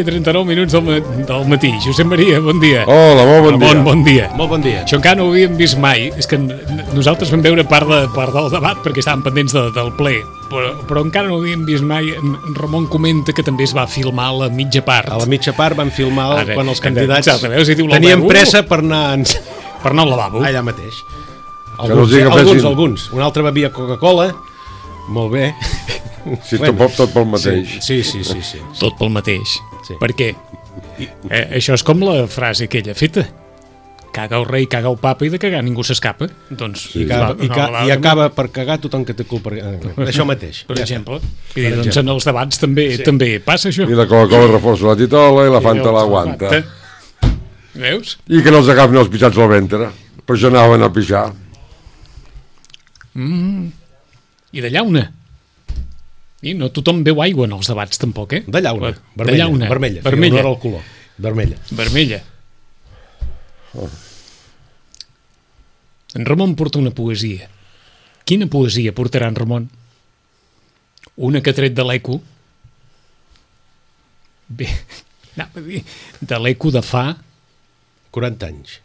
I 39 minuts del matí. Josep Maria, bon dia. Hola, molt bon dia. Bon dia. Molt bon dia. Això encara no ho havíem vist mai. És que nosaltres vam veure part del debat perquè estàvem pendents del ple, però encara no ho havíem vist mai. En Ramon comenta que també es va filmar a la mitja part. A la mitja part van filmar quan els candidats tenien pressa per anar al lavabo. Allà mateix. Alguns. Un altre bevia Coca-Cola. Molt bé. Sí, tot pel mateix. Sí. Tot pel mateix. Sí. Per què? Això és com la frase aquella feta. Caga el rei, caga el papa i de cagar ningú s'escapa. Doncs, I acaba per cagar tothom que té culpa. Això mateix. Per exemple. Doncs en els debats també passa això. I la Coca-Cola reforça la titola i la Fanta l'aguanta. Veus? I que no els agafin els pixats al ventre. Per això anaven a pixar. I de llauna. I no tothom veu aigua en els debats, tampoc, De llauna. Vermella. Vermella. No era el color. Vermella. En Ramon porta una poesia. Quina poesia portarà en Ramon? Una que ha tret de l'Eco? Bé, anava a dir, de l'Eco de fa... 40 anys.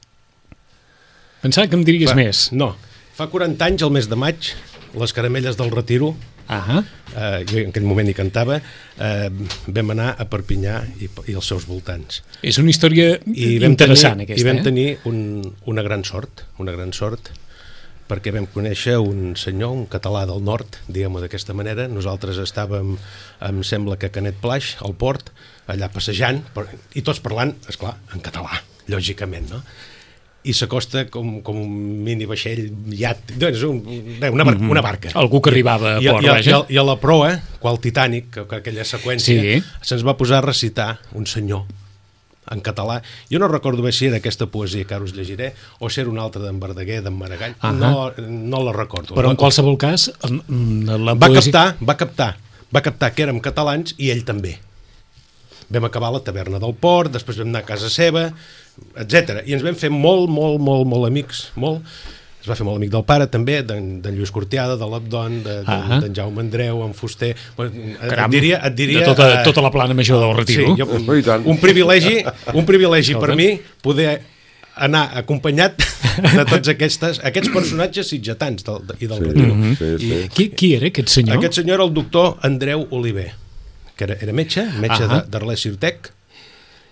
Pensava que em diries més. No, fa 40 anys, el mes de maig, les Caramelles del Retiro, jo en aquell moment hi cantava, vam anar a Perpinyà i els seus voltants. És una història interessant, aquesta. I vam tenir una gran sort, perquè vam conèixer un senyor, un català del nord, diguem-ho d'aquesta manera. Nosaltres estàvem, em sembla que a Canet Plaix, al port, allà passejant, i tots parlant, esclar, en català, lògicament, no? I s'acosta com un mini vaixell, una barca. Algú que arribava a port, vaja. I a la proa, qual Titanic, aquella seqüència, se'ns va posar a recitar un senyor en català. Jo no recordo bé si era aquesta poesia que ara us llegiré o si era una altra d'en Verdaguer, d'en Maragall. No la recordo. Però en qualsevol cas, la poesia... Va captar que érem catalans i ell també. Vam acabar a la taverna del port, després vam anar a casa seva, etc. I ens vam fer molt amics, molt. Es va fer molt amic del pare també, d'en Lluís Cortiada, de l'Abdon, d'en Jaume Andreu, en Fuster. Caram, et diria tota la plana major del Retiro. Sí, un privilegi per mi poder anar acompanyat de tots aquests personatges sitgetans i del Retiro. Qui era aquest senyor? Aquest senyor era el doctor Andreu Oliver, que era metge d'Arles Ciutec,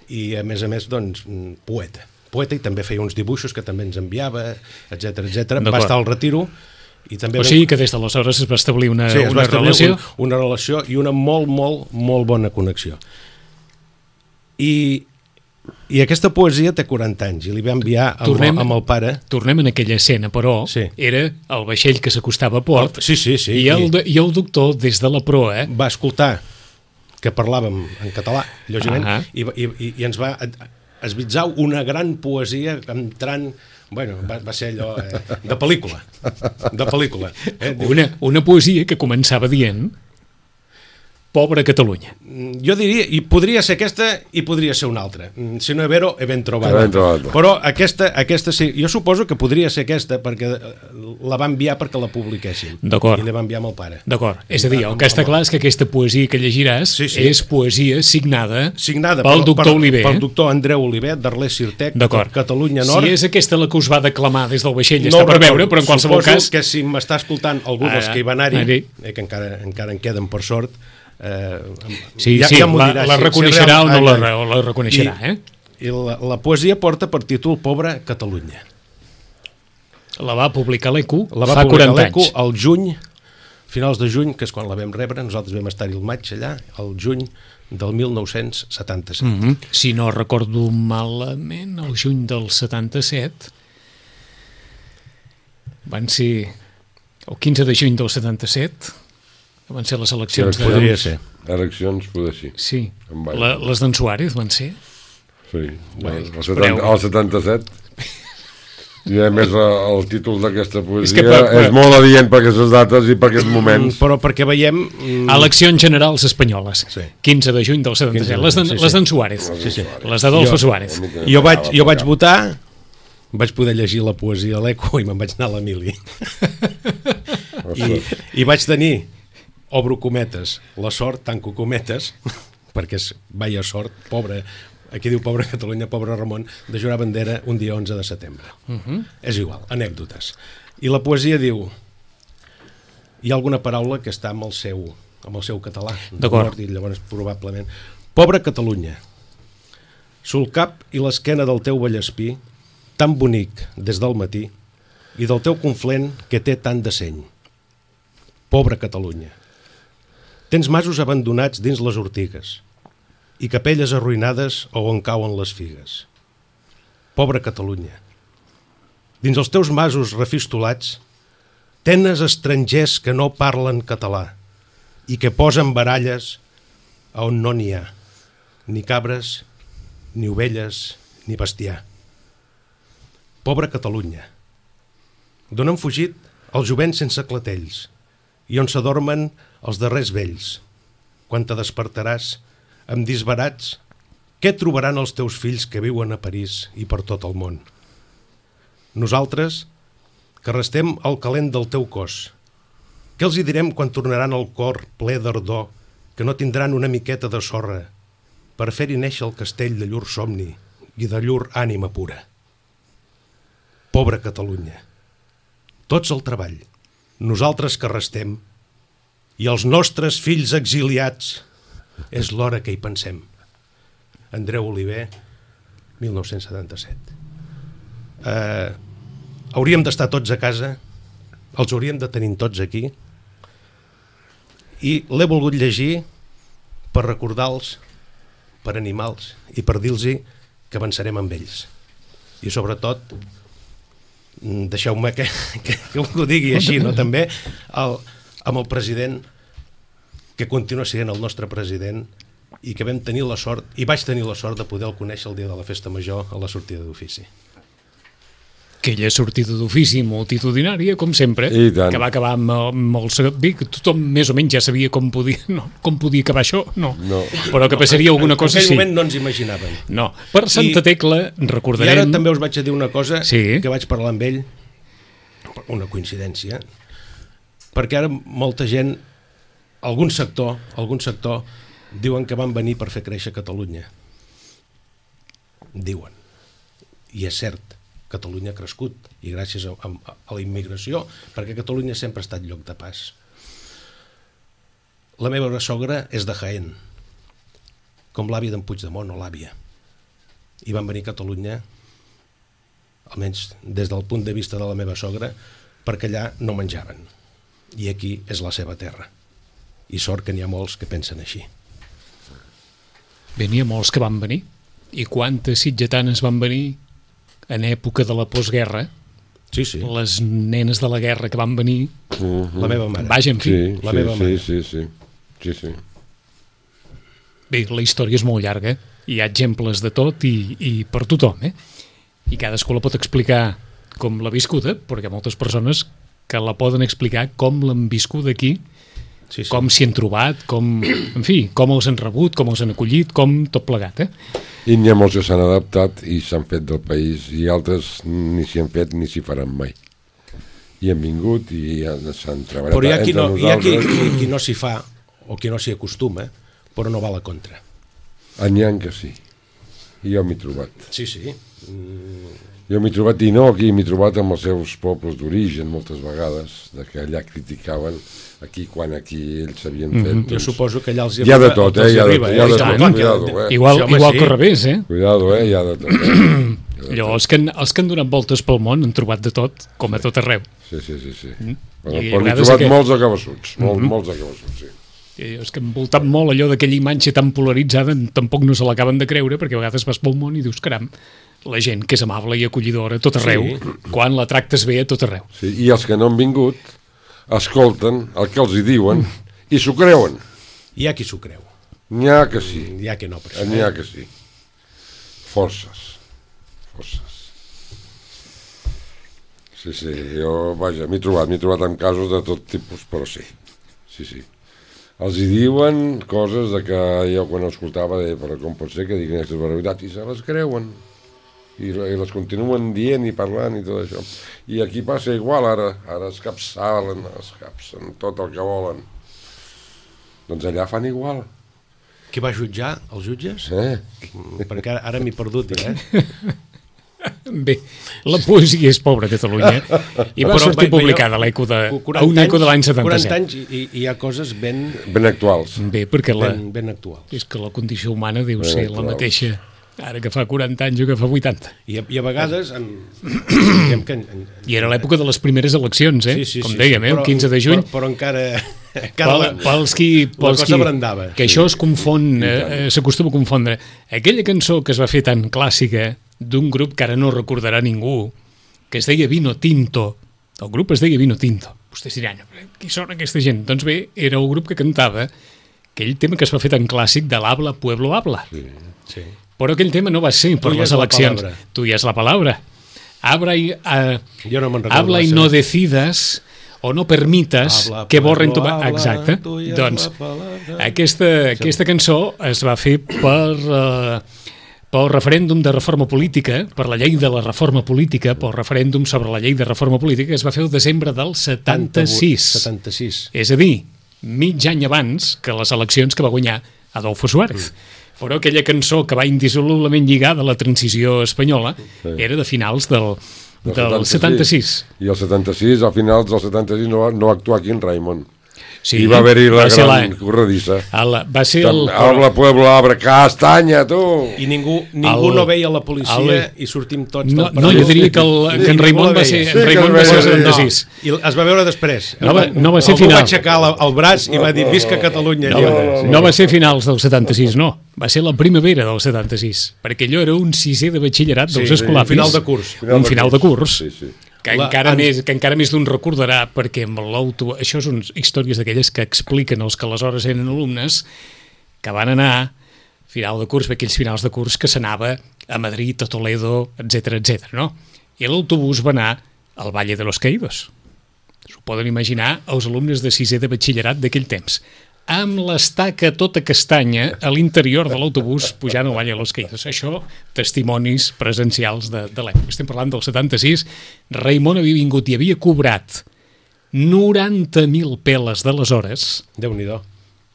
i a més, doncs, poeta, i també feia uns dibuixos que també ens enviava, etc. Va estar al Retiro. O sigui que des d'aleshores es va establir una relació? Una relació i una molt bona connexió. I aquesta poesia té 40 anys, i li va enviar amb el pare. Tornem en aquella escena, però era el vaixell que s'acostava a port, i el doctor, des de la proa, va escoltar que parlàvem en català, lògicament, i ens va esbitzar una gran poesia entrant... Bueno, va ser allò de pel·lícula. Una poesia que començava dient... Pobra Catalunya. Jo diria, i podria ser aquesta i podria ser una altra. Si no è vero, è ben trobada. Ben trobada. Però aquesta sí, jo suposo que podria ser aquesta perquè la va enviar perquè la publiquessin. D'acord. I la va enviar amb el pare. D'acord, és a dir, el que està clar és que aquesta poesia que llegiràs és poesia signada pel doctor Oliver. Pel doctor Andreu Oliver, d'Arles Sirtec, Catalunya Nord. Si és aquesta la que us va declamar des del vaixell, està per veure, però en qualsevol cas... Suposo que si m'està escoltant algú dels que hi va anar-hi, que encara en queden per sort, la reconeixerà o no la reconeixerà. I la poesia porta per títol Pobra Catalunya. La va publicar l'ECU fa 40 anys. Al juny, finals de juny, que és quan la vam rebre, nosaltres vam estar-hi el maig allà, al juny del 1977. Si no recordo malament, el juny del 77 van ser el 15 de juny del 77 van ser les eleccions. Podria ser. Eleccions, poder sí. Sí. Les d'en Suárez van ser? Sí, el 77. I a més el títol d'aquesta poesia és molt adient per aquestes dates i per aquests moments. Però perquè veiem... Eleccions generals espanyoles. 15 de juny del 77. Les d'en Suárez. Les d'Adolfo Suárez. Jo vaig votar, vaig poder llegir la poesia a l'ECO i me'n vaig anar a l'Emili. I vaig tenir, obro cometes, la sort, tanco cometes, perquè és vaya sort, pobre, aquí diu pobra Catalunya, pobre Ramon, de jurar bandera un dia 11 de setembre. És igual, anècdotes. I la poesia diu, hi ha alguna paraula que està amb el seu català, d'acord, i llavors probablement, pobra Catalunya, sul cap i l'esquena del teu Vallespí, tan bonic des del matí, i del teu conflent que té tant de seny. Pobra Catalunya. Tens masos abandonats dins les ortigues i capelles arruïnades on cauen les figues. Pobra Catalunya. Dins els teus masos refistolats tenes estrangers que no parlen català i que posen baralles on no n'hi ha, ni cabres, ni ovelles, ni bestiar. Pobra Catalunya. D'on han fugit els jovents sense clatells i on s'adormen els darrers vells. Quan te despertaràs amb disbarats, què trobaran els teus fills que viuen a París i per tot el món? Nosaltres, que restem al calent del teu cos, què els hi direm quan tornaran el cor ple d'ardor, que no tindran una miqueta de sorra per fer-hi néixer el castell de llur somni i de llur ànima pura? Pobra Catalunya. Tots al treball, nosaltres que restem, i els nostres fills exiliats, és l'hora que hi pensem. Andreu Oliver, 1977. Hauríem d'estar tots a casa, els hauríem de tenir tots aquí, i l'he volgut llegir per recordar-los, per animar-los i per dir-los que avançarem amb ells. I sobretot, deixeu-me que ho digui així, no? També amb el president, que continua sent el nostre president i que vam tenir la sort, i vaig tenir la sort de poder-lo conèixer el dia de la festa major a la sortida d'ofici. Aquella sortida d'ofici multitudinària, com sempre, que va acabar amb el... Bé, que tothom més o menys ja sabia com podia acabar això, no. Però que passaria alguna cosa, sí. En aquell moment no ens imaginàvem. No. Per Santa Tecla recordarem... I ara també us vaig a dir una cosa que vaig parlar amb ell, una coincidència, perquè ara molta gent, algun sector diuen que van venir per fer créixer Catalunya. Diuen. I és cert, Catalunya ha crescut, i gràcies a la immigració, perquè Catalunya sempre ha estat lloc de pas. La meva sogra és de Jaén, com l'àvia d'en Puigdemont o l'àvia. I van venir a Catalunya, almenys des del punt de vista de la meva sogra, perquè allà no menjaven. I aquí és la seva terra. I sort que n'hi ha molts que pensen així. Bé, n'hi ha molts que van venir. I quantes sitgetanes van venir en època de la postguerra? Sí. Les nenes de la guerra que van venir... La meva mare. Vaja, en fi. La meva mare. Sí. Bé, la història és molt llarga. Hi ha exemples de tot i per tothom, I cadascú la pot explicar com l'ha viscuda, perquè hi ha moltes persones que la poden explicar com l'han viscut aquí com s'hi han trobat, en fi, com els han rebut, com els han acollit, com tot plegat, I n'hi ha molts que s'han adaptat i s'han fet del país, i altres ni s'hi han fet ni s'hi faran mai. I han vingut i s'han treballat entre nosaltres. Però hi ha qui no s'hi fa o qui no s'hi acostuma, però no va a la contra. N'hi ha que sí. I jo m'he trobat. Sí. Jo m'he trobat, i no aquí, m'he trobat amb els seus pobles d'origen moltes vegades, que allà criticaven quan aquí ells s'havien fet. Doncs... Jo suposo que allà els hi ha de tot, hi ha de tot. Igual que al revés, Cuidado, hi ha de tot. Allò, els que han donat voltes pel món han trobat de tot, com a tot arreu. Sí. Però n'he trobat molts acabassuts, molts acabassuts, sí. És que han voltat molt allò d'aquella imatge tan polaritzada, tampoc no se l'acaben de creure, perquè a vegades vas pel món i dius, caram, la gent que és amable i acollidora a tot arreu, quan la tractes bé a tot arreu. Sí, i els que no han vingut escolten el que els hi diuen i s'ho creuen. Hi ha qui s'ho creu. N'hi ha que sí. N'hi ha que no, per això. N'hi ha que sí. Forces. Sí, jo, vaja, m'he trobat en casos de tot tipus, però sí. Els hi diuen coses de que jo quan escoltava deia, però com pot ser que diguin aquestes barbaritats, i se les creuen i les continuen dient i parlant i tot això. I aquí passa igual, ara es capsen tot el que volen. Doncs allà fan igual. Qui va jutjar? Els jutges? Perquè ara m'he perdut, Bé, la poesia és pobra a Catalunya i va sortir publicada a un eco de l'any 77. 40 anys i hi ha coses ben actuals. Bé, perquè ben actuals. És que la condició humana deu ser la mateixa ara que fa 40 anys o que fa 80. I a vegades... I era l'època de les primeres eleccions, com dèiem, el 15 de juny. Però encara... Pels qui que això es confon, s'acostuma a confondre. Aquella cançó que es va fer tan clàssica d'un grup que ara no recordarà ningú, que es deia Vino Tinto. El grup es deia Vino Tinto. Vostès diran, qui són aquesta gent? Doncs bé, era el grup que cantava aquell tema que es va fer tan clàssic de l'Habla, Pueblo, Habla. Sí. Però aquell tema no va ser per les eleccions. Tu ja és la palabra. Habla y no decidas o no permitas que borren tu... Exacte. Doncs aquesta cançó es va fer pel referèndum de reforma política, per la llei de la reforma política, pel referèndum sobre la llei de reforma política, que es va fer el desembre del 76. És a dir, mig any abans que les eleccions que va guanyar Adolfo Suárez. Però aquella cançó que va indissolublement lligada a la transició espanyola era de finals del 76. I el 76, al finals del 76, no va actuar aquí en Raimon. Sí, i va haver-hi la gran corredissa. Va ser Habla, Pueblo, Habla, Castanya, tu! I ningú no veia la policia i sortim tots del partit. No, jo diria que en Raimon va ser el 76. I es va veure després. No va ser final. Algú va aixecar el braç i va dir visca Catalunya. No va ser finals del 76, no. Va ser la primavera del 76, perquè allò era un sisè de batxillerat dels escolapis. Un final de curs. Un final de curs. Que encara més d'un recordarà, perquè amb això són històries d'aquelles que expliquen els que aleshores eren alumnes que van anar a final de curs, aquells finals de curs que s'anava a Madrid, a Toledo, etc, no? I l'autobús va anar al Valle de los Caídos. S'ho poden imaginar els alumnes de sisè de batxillerat d'aquell temps, amb l'estaca tota castanya a l'interior de l'autobús pujant al Valle de los Caídos. Això, testimonis presencials de l'època. Estem parlant del 76. Raimon havia vingut i havia cobrat 90.000 peles d'aleshores. Déu-n'hi-do.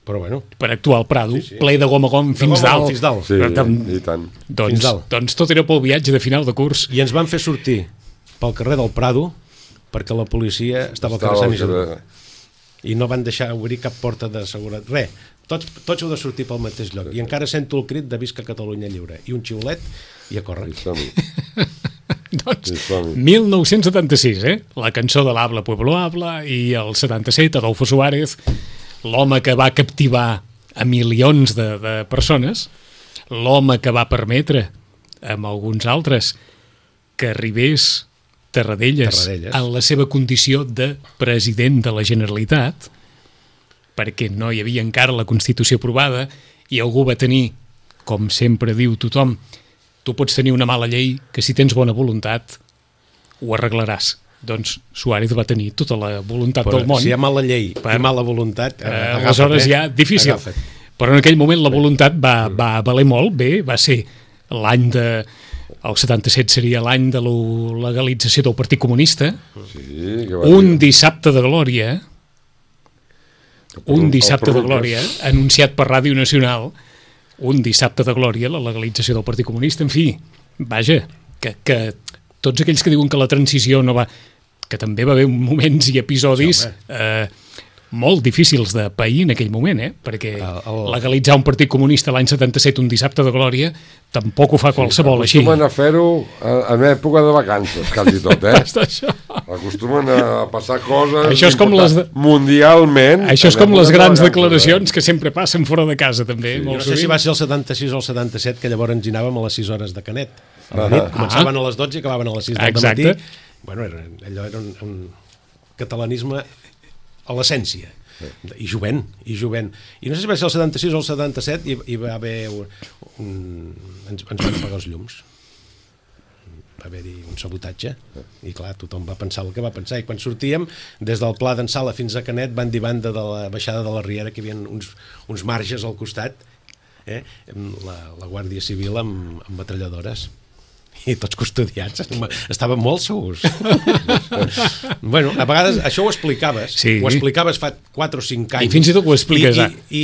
Però bueno. Per actuar al Prado, ple de gom a gom fins dalt. Sí, i tant. Doncs tot era pel viatge de final de curs. I ens van fer sortir pel carrer del Prado perquè la policia estava al carrer Sant Isidre. I no van deixar obrir cap porta de seguretat. Res, tots heu de sortir pel mateix lloc. I encara sento el crit de visca Catalunya lliure. I un xiulet i a córrer. Doncs 1976, la cançó de l'Habla, Pueblo, Habla, i el 77, Adolfo Suárez, l'home que va captivar a milions de persones, l'home que va permetre amb alguns altres que arribés Tarradellas en la seva condició de president de la Generalitat, perquè no hi havia encara la Constitució aprovada i algú va tenir, com sempre diu tothom, tu pots tenir una mala llei que si tens bona voluntat ho arreglaràs. doncs Suárez va tenir tota la voluntat del món. Si hi ha mala llei i mala voluntat, aleshores ja difícil. Però en aquell moment la voluntat va valer molt bé, va ser l'any de... El 77 seria l'any de la legalització del Partit Comunista. Sí, un dissabte de glòria, anunciat per Ràdio Nacional, un dissabte de glòria, la legalització del Partit Comunista. En fi, vaja, que tots aquells que diuen que la transició no va... que també va haver moments i episodis molt difícils de pair en aquell moment, perquè legalitzar un Partit Comunista l'any 77, un dissabte de glòria, tampoc ho fa qualsevol així. Acostumen a fer-ho en època de vacances, quasi tot, Acostumen a passar coses mundialment. Això és com les grans declaracions que sempre passen fora de casa, també. No sé si va ser el 76 o el 77, que llavors ens anàvem a les 6 hores de Canet. A la nit, començaven a les 12 i acabaven a les 6 del matí. Bueno, allò era un catalanisme a l'essència, i jovent. I no sé si va ser el 76 o el 77, hi va haver ens van apagar els llums. Va haver-hi un sabotatge, i clar, tothom va pensar el que va pensar, i quan sortíem, des del Pla d'en Sala fins a Canet, banda i banda de la baixada de la Riera, que hi havia uns marges al costat, la Guàrdia Civil amb metralladores, i tots custodiats, estaven molt segurs. Bueno, a vegades això ho explicaves, ho explicaves fa 4 o 5 anys. I fins i tot ho expliques ara. I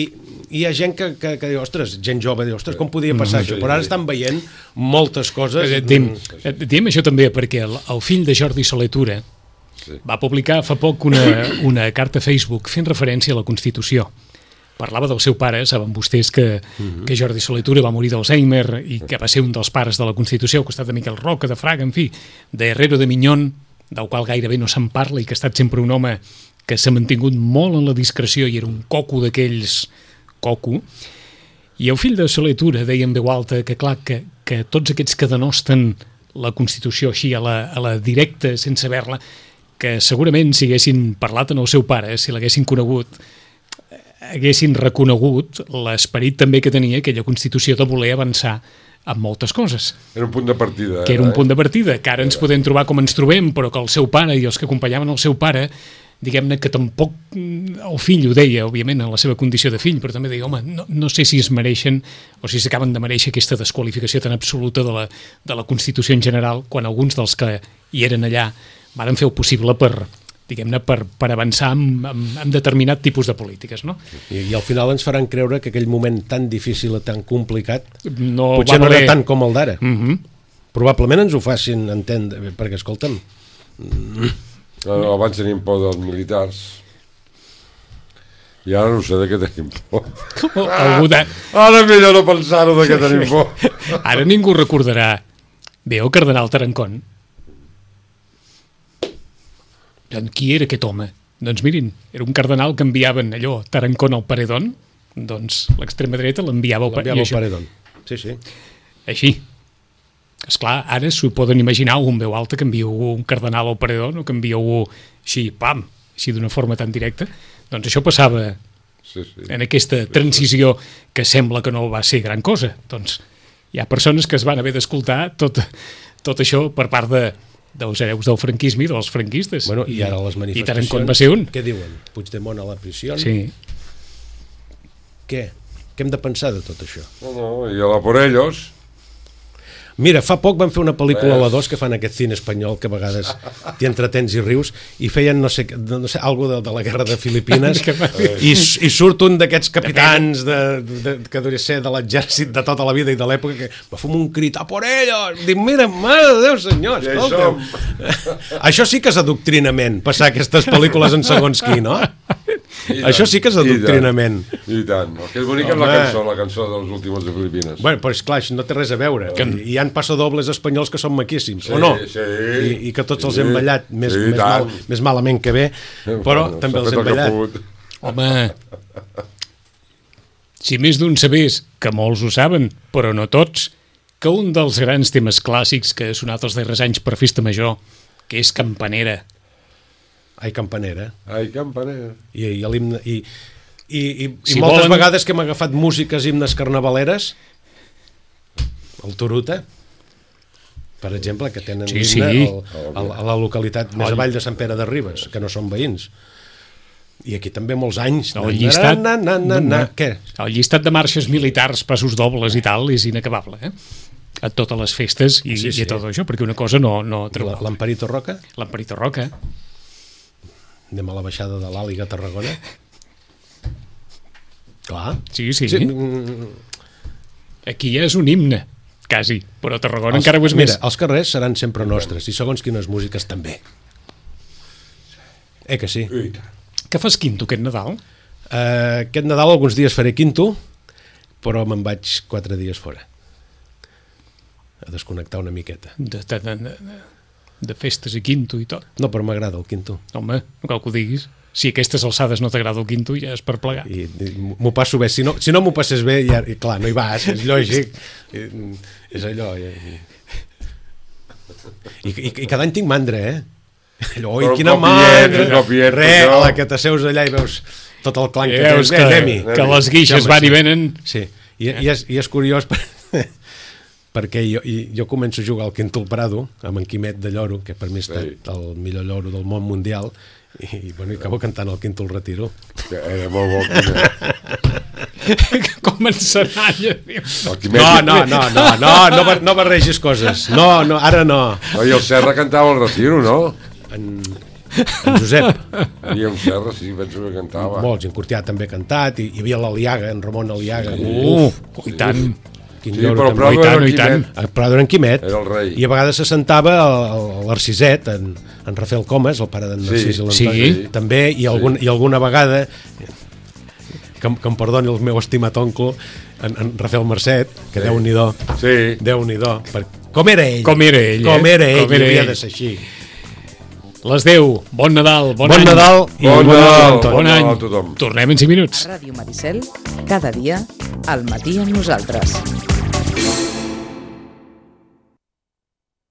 hi ha gent que diu, ostres, gent jove, diu, ostres, com podia passar això? Però ara estan veient moltes coses. Diem això també perquè el fill de Jordi Soler Tura va publicar fa poc una carta a Facebook fent referència a la Constitució. Parlava del seu pare, saben vostès que Jordi Soler Tura va morir d'Alzheimer i que va ser un dels pares de la Constitució al costat de Miquel Roca, de Fraga, en fi, d'Herrero de Miñón, del qual gairebé no se'n parla i que ha estat sempre un home que s'ha mantingut molt en la discreció i era un coco d'aquells i el fill de Soler Tura deia en veu alta que clar, que tots aquests que denosten la Constitució així a la directa, sense haver-la, que segurament si haguessin parlat en el seu pare, si l'haguessin conegut, haguessin reconegut l'esperit també que tenia aquella Constitució de voler avançar en moltes coses. Era un punt de partida. Que era un punt de partida, que ara ens podem trobar com ens trobem, però que el seu pare i els que acompanyaven el seu pare, diguem-ne que tampoc el fill ho deia, òbviament, en la seva condició de fill, però també deia, home, no sé si es mereixen o si s'acaben de mereixer aquesta desqualificació tan absoluta de la Constitució en general, quan alguns dels que hi eren allà van fer el possible per avançar en determinat tipus de polítiques, no? I al final ens faran creure que aquell moment tan difícil i tan complicat potser no era tant com el d'ara. Probablement ens ho facin entendre, perquè, escolta'm... Abans tenim por dels militars i ara no sé de què tenim por. Ara millor no pensar-ho de què tenim por. Ara ningú recordarà bé el cardenal Tarancón. Qui era aquest home? Doncs mirin, era un cardenal que enviaven allò, Tarancón al paredón, doncs l'extrema dreta l'enviava al paredón. Sí. Així. Esclar, ara s'ho poden imaginar un veu alta que envia un cardenal al paredón o que envia així, pam, així d'una forma tan directa. Doncs això passava en aquesta transició que sembla que no va ser gran cosa. Doncs hi ha persones que es van haver d'escoltar tot això per part dels hereus del franquisme i dels franquistes. Bueno, i ara les manifestacions... I Tarancón va ser un. Què diuen? Puigdemont a la prisió? Sí. Què hem de pensar de tot això? No, i a la por ellos... Mira, fa poc van fer una pel·lícula a la 2 que fan aquest cine espanyol que a vegades t'hi entretens i rius i feien, no sé algo de la guerra de Filipines i surt un d'aquests capitans que hauria ser de l'exèrcit de tota la vida i de l'època que va fer un crit, a por ellos! Dic, mira, mare de Déu, senyor, escolta'm. Això sí que és adoctrinament, passar aquestes pel·lícules en segons qui, no? Això sí que és adoctrinament. I tant. El que és bonic és la cançó dels últims de Filipines. Bueno, però esclar, no té res a veure. Hi ha passadobles espanyols que són maquíssims, o no? I que tots els hem ballat més malament que bé, però també els hem ballat. Home, si més d'un sabés, que molts ho saben, però no tots, que un dels grans temes clàssics que ha sonat els darrers anys per Festa Major, que és Campanera. Ai, Campanera. I moltes vegades que hem agafat músiques, himnes carnavaleres, el Turuta, per exemple, que tenen l'himne a la localitat més avall de Sant Pere de Ribes, que no són veïns. I aquí també molts anys. El llistat de marxes militars, passos dobles i tal, és inacabable, a totes les festes i a tot això, perquè una cosa no treu. L'Amparito Roca? L'Amparito Roca. Anem a la baixada de l'Àliga a Tarragona. Clar. Sí. Aquí ja és un himne, quasi, però a Tarragona encara ho és més. Mira, els carrers seran sempre nostres, i segons quines músiques també. Que sí? Què fas quinto aquest Nadal? Aquest Nadal alguns dies faré quinto, però me'n vaig 4 dies fora. A desconnectar una miqueta. De festes i quinto i tot. No, però m'agrada el quinto. Home, no cal que ho diguis. Si a aquestes alçades no t'agrada el quinto, ja és per plegar. I m'ho passo bé. Si no m'ho passes bé, ja, clar, no hi vas, és lògic. És allò. I cada any tinc mandra, Allò, quina mandra! A la que t'asseus allà i veus tot el clanc que tens. Que les guixes van i venen. Sí, i és curiós perquè jo començo a jugar al Quinto al Prado amb en Quimet de Lloro, que per mi ha estat el millor lloro del món mundial, i acabo cantant el Quinto al Retiro. Era molt bo. Com en Senalla. No barregis coses. No, ara no. I el Serra cantava el Retiro, no? En Josep. I en Serra, sí, penso que cantava. Molts, en Cortià també ha cantat, i hi havia l'Aliaga, en Ramon Aliaga. I tant. Però Prado era en Quimet. Era el rei. I a vegades s'assentava l'Arciset, en Rafael Comas, el pare d'en Narcís i l'Antoni, també, i alguna vegada, que em perdoni el meu estimat oncle, en Rafael Mercet, que Déu-n'hi-do. Déu-n'hi-do. Com era ell. Com era ell, havia de ser així. Les 10, bon Nadal, bon any. Bon any a tothom. Tornem en 5 minuts. A Ràdio Maricel, cada dia, al matí amb nosaltres.